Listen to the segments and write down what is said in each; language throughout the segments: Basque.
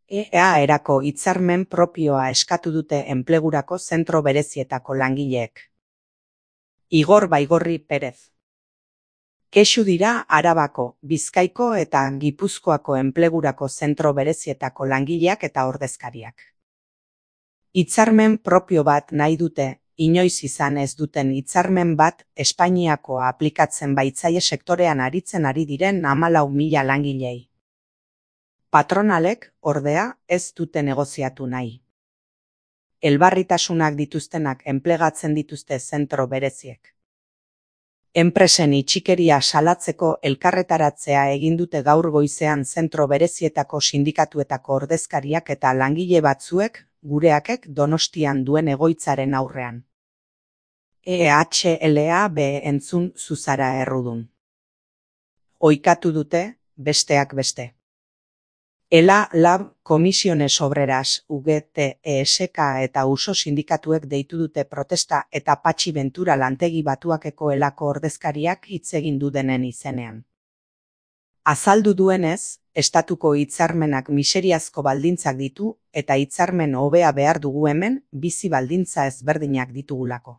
EAerako hitzarmen propioa eskatu dute enplegurako zentro berezietako langileek. Igor Baigorri Perez. Kexu dira Arabako, Bizkaiko eta Gipuzkoako enplegurako zentro berezietako langileak eta ordezkariak. Hitzarmen propio bat nahi dute, inoiz izan ez duten hitzarmen bat Espainiakoa aplikatzen baitzaie sektorean aritzen ari diren 14.000 langilei. Patronalek, ordea, ez dute negoziatu nahi. Elbarritasunak dituztenak enplegatzen dituzte zentro bereziek. Enpresen itxikeria salatzeko elkarretaratzea egin dute gaur goizean zentro berezietako sindikatuetako ordezkariak eta langile batzuek, gureakek Donostian duen egoitzaren aurrean. EHLAB entzun Zuzara Errudun. Oikatu dute, besteak beste. ELA, LAB, Comisiones Obreras, UGT, ESK eta USO sindikatuek deitu dute protesta eta Patxi Ventura lantegi batuakeko elako ordezkariak hitz egin du denen izenean. Azaldu duenez, estatuko hitzarmenak miseriazko baldintzak ditu eta hitzarmen hobea behar dugu hemen bizi baldintza ezberdinak ditugulako.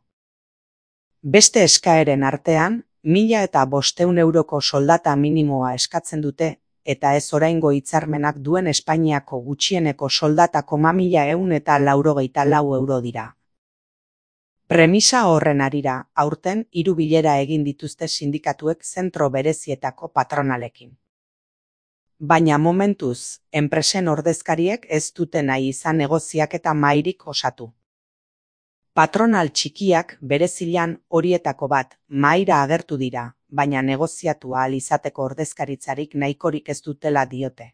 Beste eskaeren artean, 1.500 euroko soldata minimoa eskatzen dute, eta ez oraingo hitzarmenak duen Espainiako gutxieneko soldata 1.194 euro dira. Premisa horren harira, aurten 3 bilera egin dituzte sindikatuek zentro berezietako patronalekin. Baina momentuz, enpresen ordezkariek ez dute nahi izan negoziaketa mahairik osatu. Patronal txikiak berezilan horietako bat mahaira agertu dira, baina negoziatu ahal izateko ordezkaritzarik nahikorik ez dutela diote.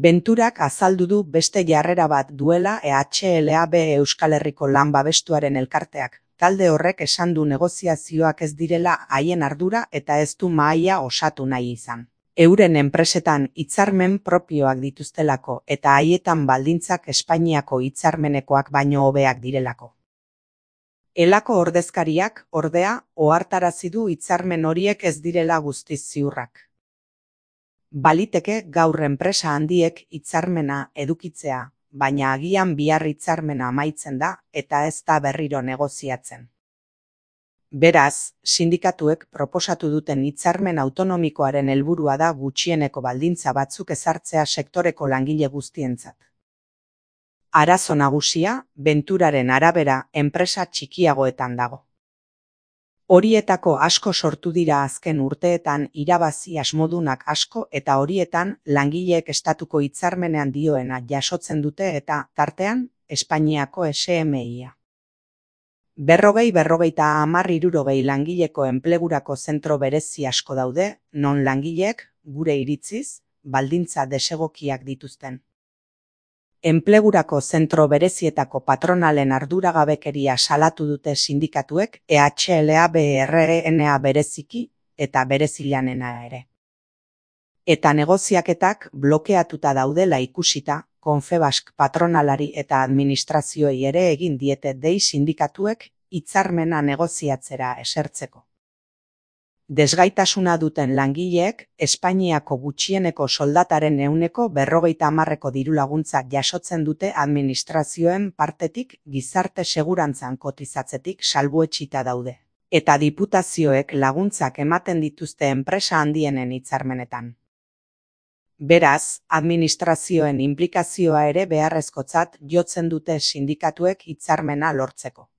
Venturak azaldu du beste jarrera bat duela EHLAB Euskal Herriko Lan Babestuaren elkarteak. Talde horrek esan du negoziazioak ez direla haien ardura eta ez du mahaia osatu nahi izan. Euren enpresetan hitzarmen propioak dituztelako eta haietan baldintzak Espainiako hitzarmenekoak baino hobeak direlako. Elako ordezkariak, ordea, ohartarazi du hitzarmen horiek ez direla guztiz ziurrak. Baliteke gaur enpresa handiek hitzarmena edukitzea, baina agian bihar hitzarmena amaitzen da eta ez da berriro negoziatzen. Beraz, sindikatuek proposatu duten hitzarmen autonomikoaren helburua da gutxieneko baldintza batzuk ezartzea sektoreko langile guztientzat. Arazo nagusia, Venturaren arabera, enpresa txikiagoetan dago. Horietako asko sortu dira azken urteetan irabazi asmodunak asko eta horietan langileek estatuko hitzarmenean dioena jasotzen dute eta, tartean, Espainiako SMI-a. 40-50 langileko enplegurako zentro berezi asko daude, non langileek, gure iritziz, baldintza desegokiak dituzten. Enplegurako zentro berezietako patronalen arduragabekeria salatu dute sindikatuek EHLABRNA bereziki eta berezilanena ere. Eta negoziaketak blokeatuta daudela ikusita, Confebask patronalari eta administrazioei ere egin diete dei sindikatuek hitzarmena negoziatzera esertzeko. Desgaitasuna duten langileek Espainiako gutxieneko soldataren 50% dirulaguntza jasotzen dute administrazioen partetik gizarte segurantzan kotizatzetik salbuetsita daude. Eta diputazioek laguntzak ematen dituzte enpresa handienen hitzarmenetan. Beraz, administrazioen inplikazioa ere beharrezkotzat jotzen dute sindikatuek hitzarmena lortzeko.